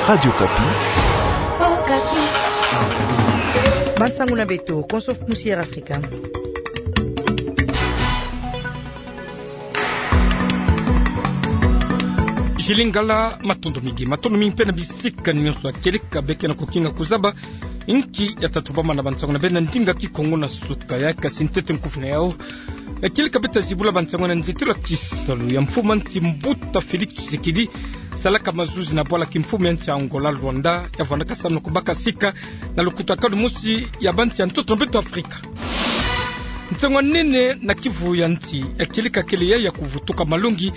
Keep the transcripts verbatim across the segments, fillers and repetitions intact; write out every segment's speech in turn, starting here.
Radio Okapi. Bansangu na beto, konso musi Air Afrika. Julie Ngala, matondo mingi. Matondo mingi mpe na bisika nyonso ya kieleka beke na kukinga kuzaba inki ya tatubama na bansangu na beno na ndinga Kikongo na suka ya, kasi ntete nkufi na yau. Ya kieleka beto ta zibula bansangu na nzietelo ya kisalu ya mfumu ya nsi mbuta Félix Tshisekedi, salaka mazuzi na bwala kimfumu ya nsi ya Angola Luanda, ya vwandaka samu na kubaka sika na lukutakanu mosi ya bansi ya ntoto na beto Afrika. Nsangu ya nene na kivu ya nsi, ya kieleka kele yayi ya kuvutuka malongi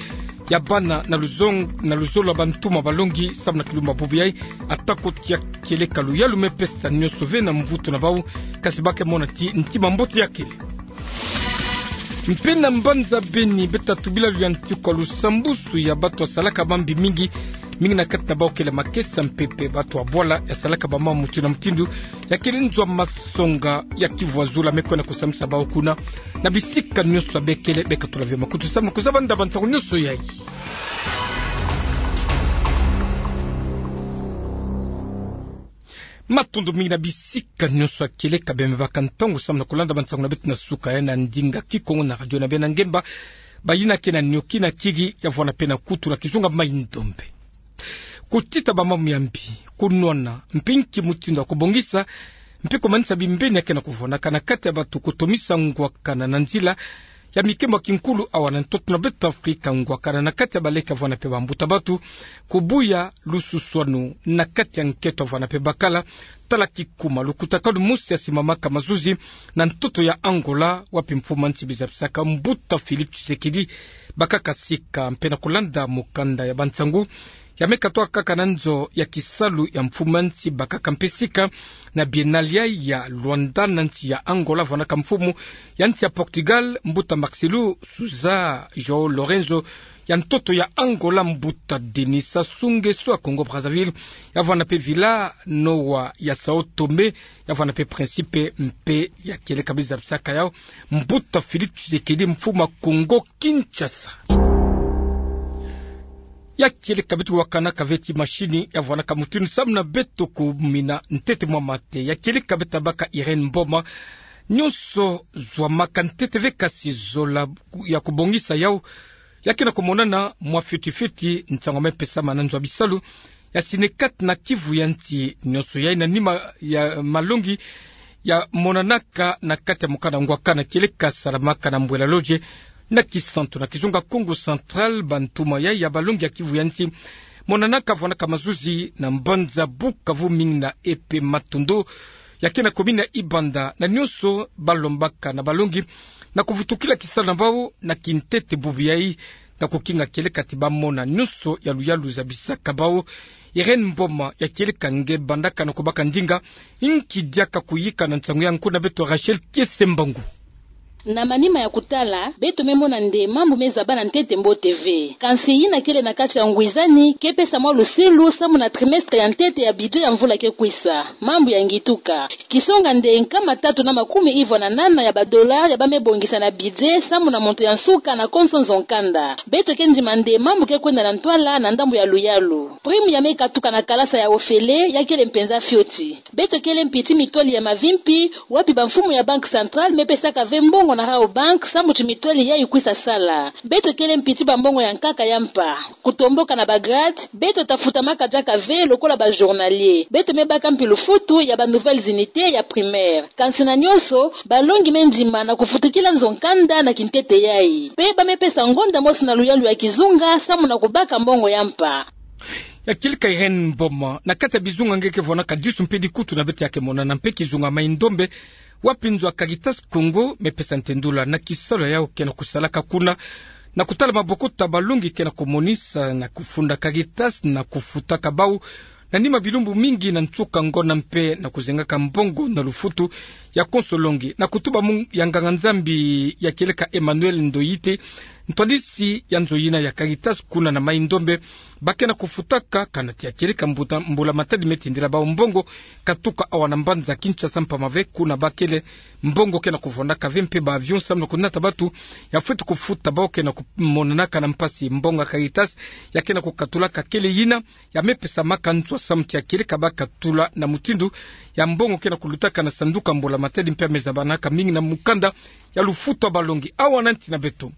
ya bana na luzong-, na luzolo ya bantuma balongi, samu na kilumbu bubu yayi, atako tia kieleka luyalu me pesa nyonso ve na mvutu na bau, kasi ba ke mona ti ntima mbote ya kele. Mpe na mbanza Beni, beto ta tubila luyantiku ya lusambusu ya bato ya salaka mambi mingi, mingi na kati na bau kele makesa mpe mpe bato ya bwala ya salaka bamambu mutindu na mutindu, ya kele nzo ya masonga ya kivu ya zulu me kwenda kusambisa bau kuna. Na bisika nyonso ya bekele, beka tula ve makutu samu na kuzaba nda bansangu nyonso yayi. Matondo mingi na bisika nyonso ya kieleka beno me baka ntangu samu na kulanda bansangu na beto na suka ya na ndinga Kikongo na radio na beno ya ngemba, bayina ke na nioki na kiki ya vwanda mpe na kutu na kizunga mai ndombe. Kutita bamambu ya mbi, kunwana, mpe nki mutindu ya kubongisa, mpe kumanisa bimbeni ya ke na kuvwandaka na kati ya bato, kutomisa ngwakana na nzila ya mikembo ya kinkulu awa na ntoto na beto Afrika, ngwakana na kati ya baleke ya vwanda mpe bambuta bato, kubuya lususwanu na kati ya nketo ya vwanda mpe bakala. Tala kikuma lukutakanu mosi ya simamaka mazuzi na ntoto ya Angola, wapi mfumu ya nsi bizabisaka mbuta Félix Tshisekedi bakaka sika, mpe na kulanda mukanda ya bansangu ya me katuka kaka na nzo ya kisalu ya mfumu ya nsi bakaka mpe sika na Biennale ya Luanda na nsi ya Angola, vwandaka mfumu ya nsi ya Portugal, mbuta Marcelo Sousa João Lourenço, ya ntoto ya Angola, mbuta Denis Sassou Nguesso ya Congo Brazzaville, ya vwanda mpe Vila Nova ya Sao Tome, ya vwanda mpe Principe mpe ya kieleka bizabisaka yau mbuta Félix Tshisekedi, mfumu ya Congo Kinshasa. Ya kieleka beto wakanaka ve ti mashini ya vwandaka mutindu samu na beto kumina ntete mwa mate. Ya kieleka beto ta baka Irène Mboma. Nyonso zwamaka ntete ve, kasi zola ya kubongisa yau ya ke na kumonana mwa fioti fioti, nsangu ya me pesama na nzo ya bisalu ya Synecat na kivu ya nsi. Nyonso yayi na nima ya malongi ya monanaka na kati ya mukanda ngwakana kieleka salamaka na Mbuela Lodge na Kisantu na kizunga Kongo Central. Bantuma yayi ya balongi ya kivu ya nsi monanaka, vwandaka mazuzi na mbanza Bukavu, mingi na E P Matondo ya ke na commune ya Ibanda, na nyonso balombaka na balongi na kuvutukila kisalu na bau na kintete bubu yayi, na kukinga kieleka ti bamona nyonso ya luyalu zabisaka bau. Irène Mboma, ya kieleka nge bandaka na kubaka ndinga, nki diaka kuyika na nsangu ya nko na beto Rachel Kiese Mbangu? Na manima ya kutala, beto me mona nde mambu me zabana ntete mbote ve. Kansi yina kele na kati ya ngwizani ke pesa mwa lusilu samu na trimestre ya ntete ya budget ya mvula ke kwisa. Mambu ya ngituka. Kisonga nde nkama tatu na makumi ivwa na nana ya ba dollars ya ba me bongisa na budget samu na montant ya nsuka na konso nzo nkanda. Beto ke ndima nde mambu ke kwenda na ntwala na ndambu ya luyalu. Prime ya me katuka na kalasa ya ofele ya kele mpenza fioti. Beto kele mpi ti mitwali ya mavimpi, wapi bamfumu ya Banque Centrale me pesaka ve mbongo na Rabobank samu ti mitwali yayi kwisa sala. Beto kele mpi ti bambongo ya nkaka ya mpa. Kutomboka na ba grade, beto ta futamaka diaka ve lokola ba journalier. Beto me baka mpi lufutu ya ba nouvelles unités ya primaire. Kansi na nyonso, balongi me ndima na kuvutukila nzo nkanda na kintete yayi. Mpe ba me pesa ngonda mosi na luyalu ya kizunga samu na kubaka mbongo ya mpa. Ya kieleka Irène Mboma, na kati ya bizunga nge ke vwandaka disu mpe dikutu na beto ya ke monana mpe kizunga Mai-Ndombe, wapi nzo ya Caritas Congo me pesa ntendula na kisalu ya yau ke na kusalaka kuna, na kutala mabokota balongi ke na kumonisa na kufunda Caritas na kufutaka bau na nima bilumbu mingi na nsuka ngonda mpe na kuzengaka mbongo na lufutu ya konso longi. Na kutuba munu ya nganga-Nzambi ya kieleka Emmanuel Ndoite, ntwadisi ya nzo yina ya Caritas kuna na Mai-Ndombe, bakena kufutaka kana tia kieleka mbuta mbula-matadi me tindila bawu mbongo katuka awa na mbanza Kinshasa, mpamave kuna bakele mbongo kena kuvwandaka ve mpe ba avion samu na kunata batu ya fweti kufuta bawu kena kumonanaka na mpasi. Mbongo ya Caritas ya kena kukatulaka kele yina ya me pesamaka nswa samu tia kieleka bakatula na mutindu ya mbongo kena kulutaka na sanduku ya mbula-matadi mpe ya me zabanaka mingi na mukanda ya lufutu ya balongi. Awa na nti na beto,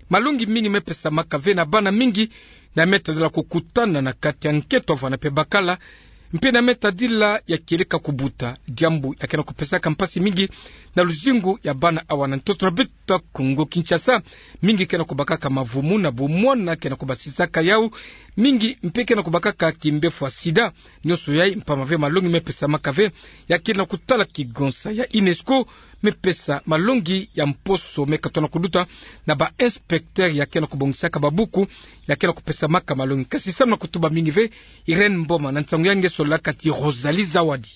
malongi mingi me pesamaka ve na bana mingi, na me tadila kukutana na kati ya nketo avwanda mpe bakala, mpe na me tadila ya kieleka kubuta, diambu ya kena kupesaka mpasi mingi na luzingu ya bana awa na ntoto na beto ya Kongo Kinshasa. Mingi kena kubakaka mavumu na bumwana kena kubasisaka yawu, mingi mpe kena kubakaka kimbefu ya sida. Nionso yayi mpamave malongi me pesamaka ve ya kele na kutala kigonsa ya UNESCO, me pesa malongi ya mposo me katona kuluta na ba inspecteur ya kena kubongisaka babuku, ya kena kupesamaka malongi. Kasi samu na kutuba mingi ve, Irène Mboma na nsangu ya nge solaka ti Rosalie Zawadi.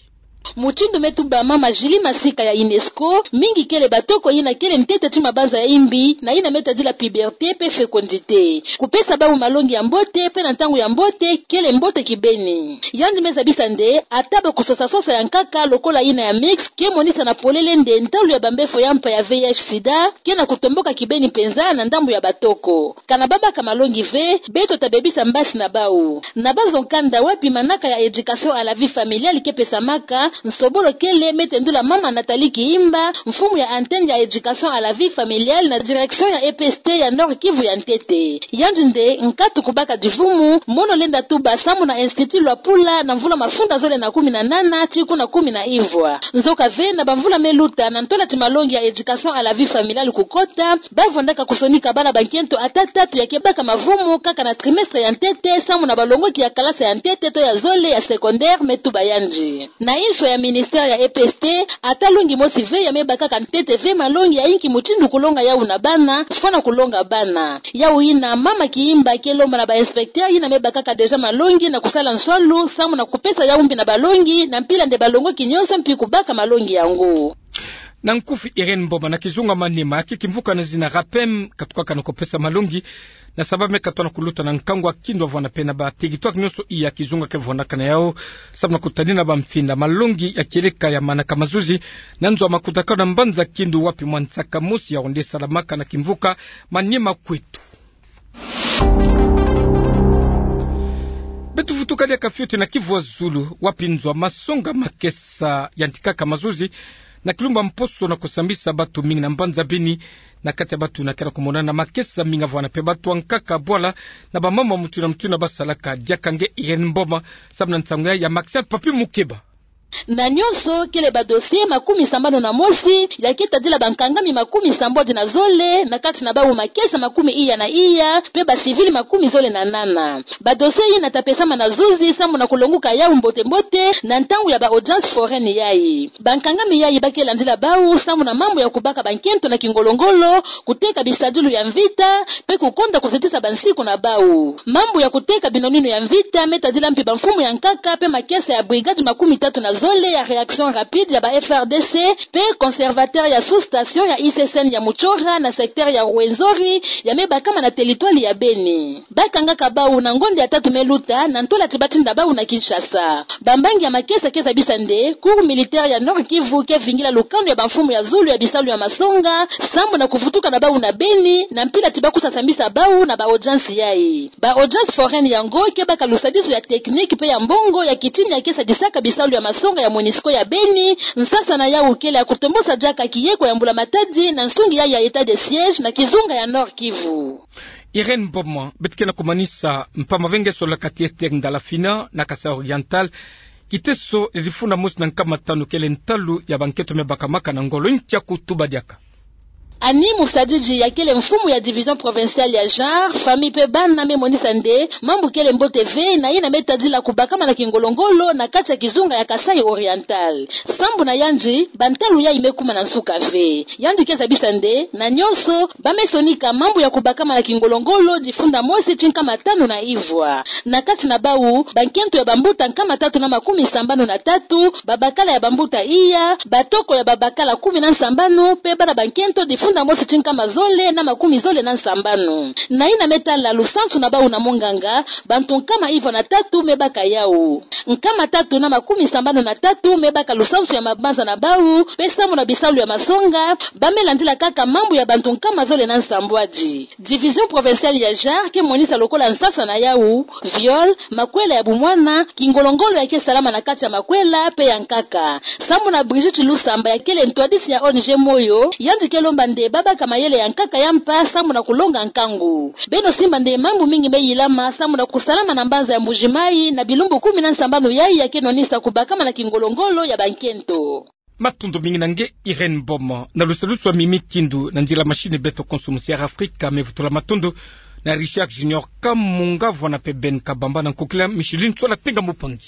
Mutindu me tuba mama Julie Masika ya UNESCO, mingi kele batoko yina kele ntete ti mabanza ya imbi, na yina me tadila puberté mpe fécondité. Kupesa bawu malongi ya mbote mpe na ntangu ya mbote kele mbote kibeni. Yandi me zabisa nde, ata ba kusosa-sosa ya nkaka lokola yina ya mix, ke monisa na polele nde ntalu ya bambefo ya mpa ya V I H sida kena kutomboka kibeni mpenza na ndambu ya batoko. Kana babaka malongi ve, beto tabebisa mbasi na bawu. Na banzo nkanda wapi manaka ya éducation à la vie familiale ke pesamaka, nsobolo kele me tendula mama Nathalie Kihimba, mfumu ya antenne ya éducation à la vie familiale na direction ya E P S T ya Nord-Kivu ya ntete. Yandi nde nkatu kubaka divumu, mono lenda tuba samu na Institut Luapula na mvula mafunda zole na kumi na nana tii kuna kumi na ivwa. Nzoka ve na bamvula me luta, na ntola ti malongi ya éducation à la vie familiale kukota, bavwandaka kusonika bana bankento ata tatu ya ke baka mavumu kaka na trimestre ya ntete samu na balongoki ya kalasa ya ntete to ya zole ya secondaire, me tuba yandi. Na inso ya ministère ya E P S T, ata longi mosi ve ya me bakaka ntete ve malongi ya inki mutindu kulonga yawu na bana, fwana kulonga bana. Yawu yina mama Kihimba ke lomba na ba inspecteur yina me bakaka déjà malongi na kusala nswalu samu na kupesa yawu mbi na balongi, na mpila nde balongoki nionso mpi kubaka malongi yango. Na nkufi Irène Mboma. Na kizunga Maniema, ke kimvuka na zina RAPEM katukaka na kupesa malongi na saba me katona kuluta na nkangu ya kindo avwanda mpe na ba territoire nionso iya kizunga ke vwandaka na yawu, samu na kutadina bamfinda. Malongi ya kieleka ya manaka mazuzi na nzo ya makutakanu na mbanza Kindu, wapi mwa nsaka mosi ya onde salamaka na kimvuka Maniema Kwetu. Beto vutuka diaka fioti na Kivu ya Zulu, wapi nzo ya masonga makesa yantikaka mazuzi na kilumbu ya mposo na kusambisa batu mingi na mbanza Beni. Na kati ya batu na kena kumonana makesa mingi avwanda mpe batu ya nkaka bwala na bamama mutu na mutu na basalaka. Diaka nge Irène Mboma samu na nsangu ya, ya Maxel Papi Mukeba. Na nionso, kele ba dossier makumi sambanu na mosi ya ke tadila bankangami makumi sambwadi na zole, na kati na bawu makesa makumi iya na iya, mpe ba civil makumi zole na nana. Ba dossier yina ta pesama na zuzi samu na kulonguka yawu mbote-mbote na ntangu ya ba audience foraine yayi. Bankangami yayi ba ke landila bawu samu na mambu ya kubaka bankento na kingolo-ngolo, kuteka bisadilu ya mvita, mpe kukonda kuzitisa bansiku na bawu. Mambu ya kuteka binonino ya mvita me tadila mpi bamfumu ya nkaka mpe makesa ya brigade makumi tatu na zole ya réaction rapide ya ba F R D C, mpe conservateur ya sous-station ya I C S N ya Muchora na secteur ya Rwenzori, ya me bakama na territoire ya Beni. Ba kangaka bawu na ngonda ya tatu me luta, na ntola ti ba tinda bawu na Kinshasa. Bambangi ya makesa ke zabisa nde, Cour militaire ya Nord-Kivu ke vingila lukanu ya bamfumu ya zulu ya bisalu ya masonga, samu na kuvutuka na bawu na Beni, na mpila ti ba kusa sambisa bawu na ba audience yayi. Ba audience foraine yango ke baka lusadisu ya technique mpe ya mbongo ya kitini ya ke sadisaka bisalu ya masonga ya Monusco ya Beni, nsasa na yawu kele ya kutombosa diaka kiyeko ya mbula-matadi na nsungi yayi ya état de siège na kizunga ya Nord-Kivu. Irène Mboma. Beto ke na kumanisa, mpamba ve nge solaka ti Esther Ndalafina na Kasaï Oriental. Kiteso difuna mosi na nkama tanu kele ntalu ya bankento me bakamaka na ngolo. Ntia kutuba diaka. Annie Musadidi, ya kele mfumu ya division provinciale ya genre, famille pe bana, me monisa nde mambu kele mbote ve na yina me tadila kubakama na kingolo-ngolo na kati ya kizunga ya Kasaï Oriental. Sambu na yandi, bantalu yayi me kuma na nsuka ve. Yandi ke zabisa nde na nyonso ba me sonika mambu ya kubakama na kingolo-ngolo difunda mosi ti nkama tanu na ivwa. Na kati na bawu, bankento ya bambuta nkama tatu na makumi sambanu na tatu, babakala ya bambuta iya, batoko ya babakala kumi na nsambanu, pe bana bankento difunda mosi ti nkama zole na makumi zole na nsambanu. Na yina me tala lusansu na bawu na monganga, bantu nkama ivwa na tatu me baka yawu. Nkama tatu na makumi sambanu na tatu me baka lusansu ya mabanza na bawu, pe sambu na bisalu ya masonga, ba me landila kaka mambu ya bantu nkama zole na nsambwadi. Division provinciale ya genre ke monisa lokola nsasa na yawu, viol, makwela ya bumwana, kingolo-ngolo ya ke salama na kati ya makwela pe ya nkaka. Sambu na Brigitte Lusamba, ya kele ntwadisi ya O N G Moyo, yandi ke lomba nde ba baka mayele ya nkaka ya mpa sambu na kulonga nkangu. Beno simba nde mambu mingi me yilama sambu na kusalama na mbanza ya Mbuji-Mayi na bilumbu kumi na nsambanu yayi ya ke nwanisa kubakama na kingolo-ngolo ya bankento. Matondo mingi na nge Irène Mboma. Na lusalusu ya Mimi Kindu, na nzila machine beto konso Musière Afrika, me vutula matondo na Richard Junior Kamunga, vwena pe Ben Kabamba na nkokila Micheline Tsola Tenga Mupangi.